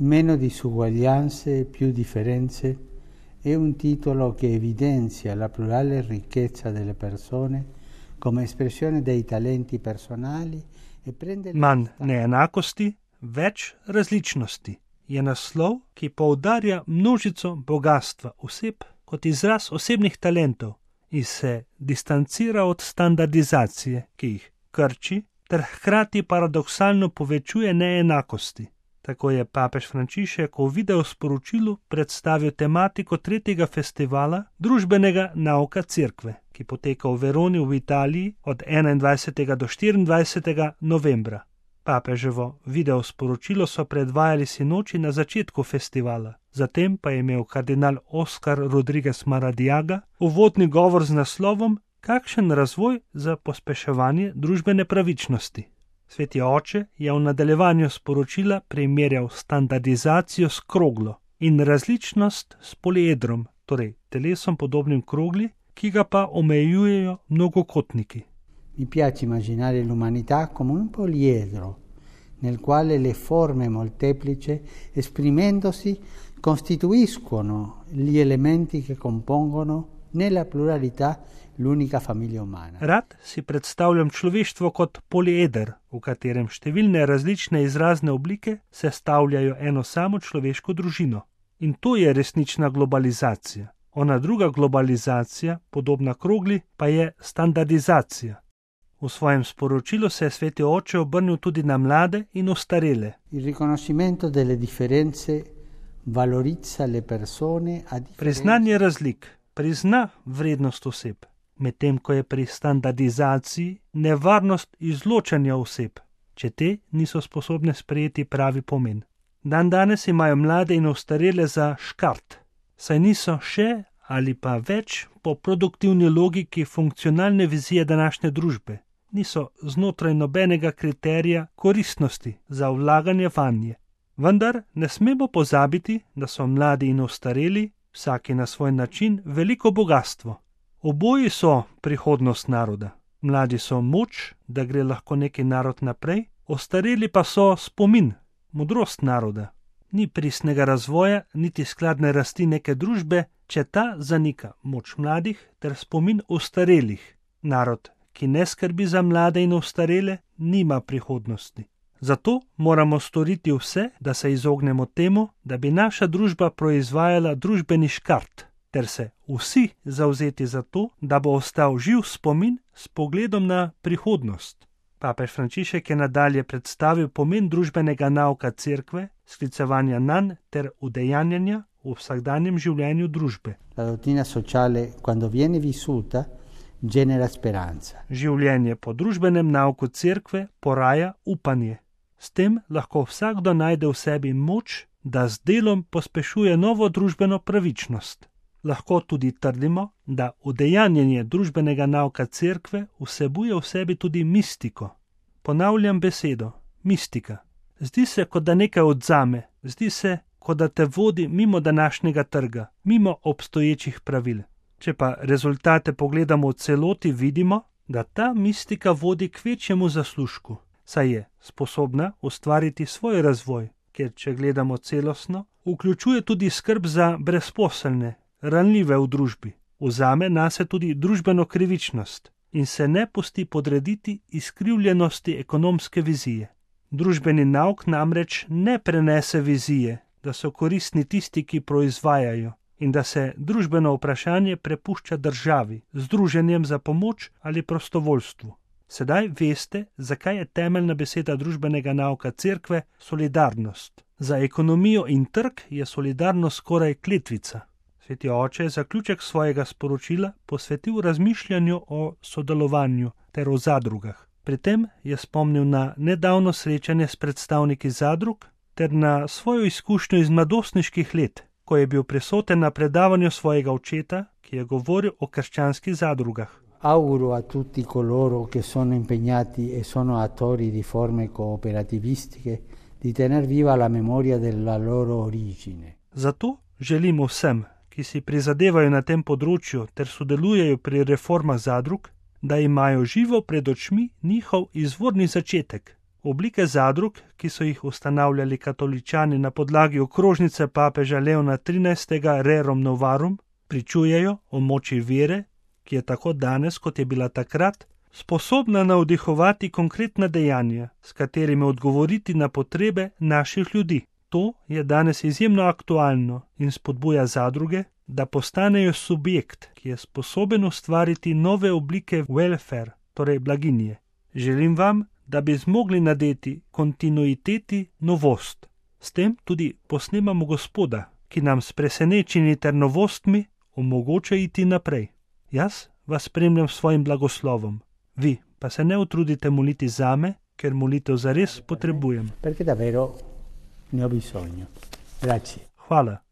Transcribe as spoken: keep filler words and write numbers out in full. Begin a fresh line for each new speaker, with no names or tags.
Meno disuguaglianze, più differenze è un titolo che evidenzia la plurale ricchezza delle persone come espressione dei talenti personali e prende...
Manj neenakosti, več različnosti je naslov, ki poudarja množico bogatstva oseb kot izraz osebnih talentov in se distancira od standardizacije, ki jih krči, ter hkrati paradoksalno povečuje neenakosti. Tako je papež Frančišek v videosporočilu predstavil tematiko tretjega festivala družbenega nauka Cerkve, ki poteka v Veroni v Italiji od enaindvajsetega do štiriindvajsetega novembra. Papeževo videosporočilo so predvajali sinoči na začetku festivala, zatem pa je imel kardinal Oskar Rodriguez Maradiaga uvodni govor z naslovom Kakšen razvoj za pospeševanje družbene pravičnosti. Sveti oče je v nadaljevanju sporočila primerjal standardizacijo s kroglo in različnost s poliedrom, torej telesom podobnim krogli, ki ga pa omejujejo mnogokotniki.
Mi piace immaginare l'umanità come un poliedro, nel quale le forme molteplici, esprimendosi, costituiscono gli elementi che compongono nella pluralità l'unica famiglia umana.
Rad si predstavljam človeštvo kot polieder, v katerem številne različne izrazne oblike sestavljajo eno samo človeško družino. In to je resnična globalizacija. Ona druga globalizacija, podobna krogli, pa je standardizacija. V svojem sporočilu se je sveti oče obrnil tudi na mlade in ostarele.
Il riconoscimento delle differenze valorizza le persone a differenza.
Priznanje razlik prizna vrednost oseb, medtem ko je pri standardizaciji nevarnost izločanja oseb, če te niso sposobne sprejeti pravi pomen. Dan danes imajo mlade in ostarele za škart, saj niso še ali pa več po produktivni logiki funkcionalne vizije današnje družbe. Niso znotraj nobenega kriterija koristnosti za vlaganje vanje. Vendar ne smemo pozabiti, da so mladi in ostareli, vsaki na svoj način, veliko bogatstvo. Oboji so prihodnost naroda. Mladi so moč, da gre lahko neki narod naprej, ostareli pa so spomin, modrost naroda. Ni pristnega razvoja, niti skladne rasti neke družbe, če ta zanika moč mladih ter spomin ostarelih. Narod, ki ne skrbi za mlade in ostarele, nima prihodnosti. Zato moramo storiti vse, da se izognemo temu, da bi naša družba proizvajala družbeni škart, ter se vsi zavzeti za to, da bo ostal živ spomin s pogledom na prihodnost. Papež Frančišek je nadalje predstavil pomen družbenega nauka Cerkve, sklicevanja nanj ter udejanjanja v vsakdanjem življenju družbe.
La dottrina sociale, quando viene vissuta, genera speranza.
Življenje po družbenem nauku Cerkve poraja upanje. S tem lahko vsakdo najde v sebi moč, da z delom pospešuje novo družbeno pravičnost. Lahko tudi trdimo, da udejanjanje družbenega nauka Cerkve vsebuje v sebi tudi mistiko. Ponavljam besedo, mistika. Zdi se, kot da nekaj odzame, zdi se, kot da te vodi mimo današnjega trga, mimo obstoječih pravil. Če pa rezultate pogledamo v celoti, vidimo, da ta mistika vodi k večjemu zaslužku, saj je sposobna ustvariti svoj razvoj, ker če gledamo celostno, vključuje tudi skrb za brezposelne, ranljive v družbi, vzame nase tudi družbeno krivičnost in se ne pusti podrediti izkrivljenosti ekonomske vizije. Družbeni nauk namreč ne prenese vizije, da so koristni tisti, ki proizvajajo, in da se družbeno vprašanje prepušča državi, združenjem za pomoč ali prostovoljstvu. Sedaj veste, zakaj je temeljna beseda družbenega nauka Cerkve solidarnost. Za ekonomijo in trg je solidarnost skoraj kletvica. Sveti oče je zaključek svojega sporočila posvetil razmišljanju o sodelovanju ter o zadrugah. Pri tem je spomnil na nedavno srečanje s predstavniki zadrug ter na svojo izkušnjo iz mladostniških let, ko je bil prisoten na predavanju svojega očeta, ki je govoril o krščanskih zadrugah.
Auguro a tutti coloro che sono impegnati e sono attori di forme cooperativistiche di tener viva la memoria della loro origine.
Zato želimo vsem, ki si prizadevajo na tem področju ter sodelujejo pri reformah zadrug, da imajo živo pred očmi njihov izvorni začetek, Oblike zadrug, ki so jih ustanavljali katoličani na podlagi okrožnice papeža Leona trinajstega Rerum Novarum, pričujejo o moči vere, ki je tako danes, kot je bila takrat, sposobna navdihovati konkretna dejanja, s katerimi odgovoriti na potrebe naših ljudi. To je danes izjemno aktualno in spodbuja zadruge, da postanejo subjekt, ki je sposoben ustvariti nove oblike welfare, torej blaginje. Želim vam, da bi zmogli nadeti kontinuiteti novost. S tem tudi posnemamo Gospoda, ki nam s presenečenji ter novostmi omogoča iti naprej. Jaz vas spremljam s svojim blagoslovom. Vi pa se ne utrudite moliti zame, ker molitev zares potrebujem.
Perché davvero ne ho bisogno. Grazie.
Hvala.